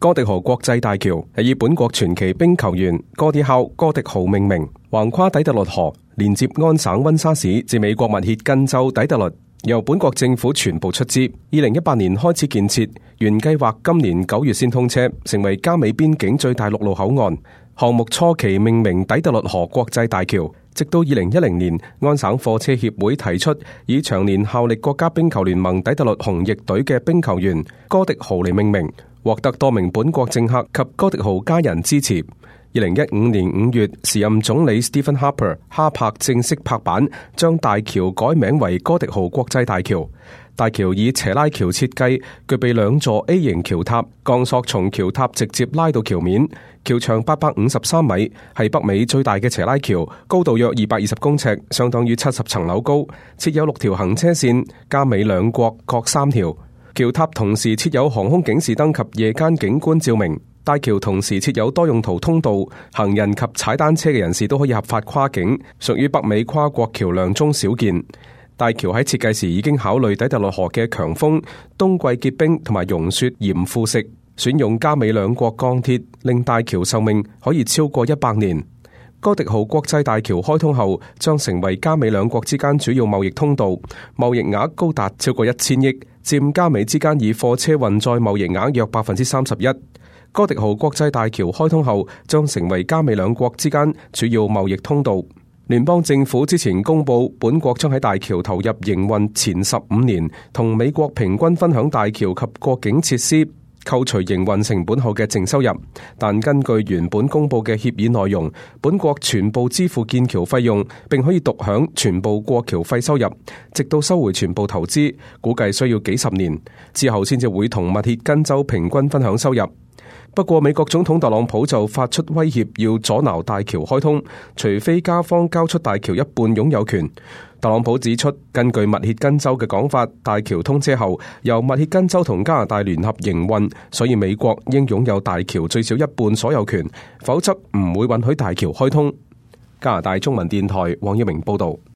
哥迪豪國際大橋係以本國傳奇冰球員哥迪豪命名，橫跨底特律河，連接安省溫莎市至美國密歇根州底特律，由本國政府全部出資。2018年開始建設，原計劃今年9月先通車，成為加美邊境最大陸路口岸。項目初期命名底特律河國際大橋，直到2010年，安省貨車協會提出以長年效力國家冰球聯盟底特律紅翼隊嘅冰球員哥迪豪嚟命名，獲得多名本國政客及哥迪豪家人支持。2015年5月，時任總理 Stephen Harper 哈柏正式拍板，將大橋改名為哥迪豪國際大橋。大橋以斜拉橋設計，具備2座 A 型橋塔，鋼索從橋塔直接拉到橋面。橋長853米，係北美最大嘅斜拉橋，高度約220公尺，相當於70層樓高。設有6條行車線，加美兩國各3條。橋塔同時設有航空警示燈及夜間景觀照明。大橋同時設有多用途通道，行人及踩單車嘅人士都可以合法跨境，屬於北美跨國橋梁中少見。大橋喺設計時已經考慮底特律河嘅強風、冬季結冰同埋融雪鹽腐蝕，選用加美兩國鋼鐵，令大橋壽命可以超過100年。哥迪豪國際大橋開通後，將成為加美兩國之間主要貿易通道，貿易額高達超過1000億，佔加美之間以貨車運載貿易額約31%。哥迪豪國際大橋開通後，將成為加美兩國之間主要貿易通道。聯邦政府之前公布，本國將喺大橋投入營運前15年，同美國平均分享大橋及過境設施扣除營運成本後嘅淨收入。但根據原本公布嘅協議內容，本國全部支付建橋費用，並可以獨享全部過橋費收入，直到收回全部投資，估計需要幾十年之後先至會同密歇根州平均分享收入。不過，美國總統特朗普就發出威脅，要阻撓大橋開通，除非加方交出大橋一半擁有權。特朗普指出，根據密歇根州嘅講法，大橋通車後由密歇根州同加拿大聯合營運，所以美國應擁有大橋最少一半所有權，否則唔會允許大橋開通。加拿大中文電台黃耀明報道。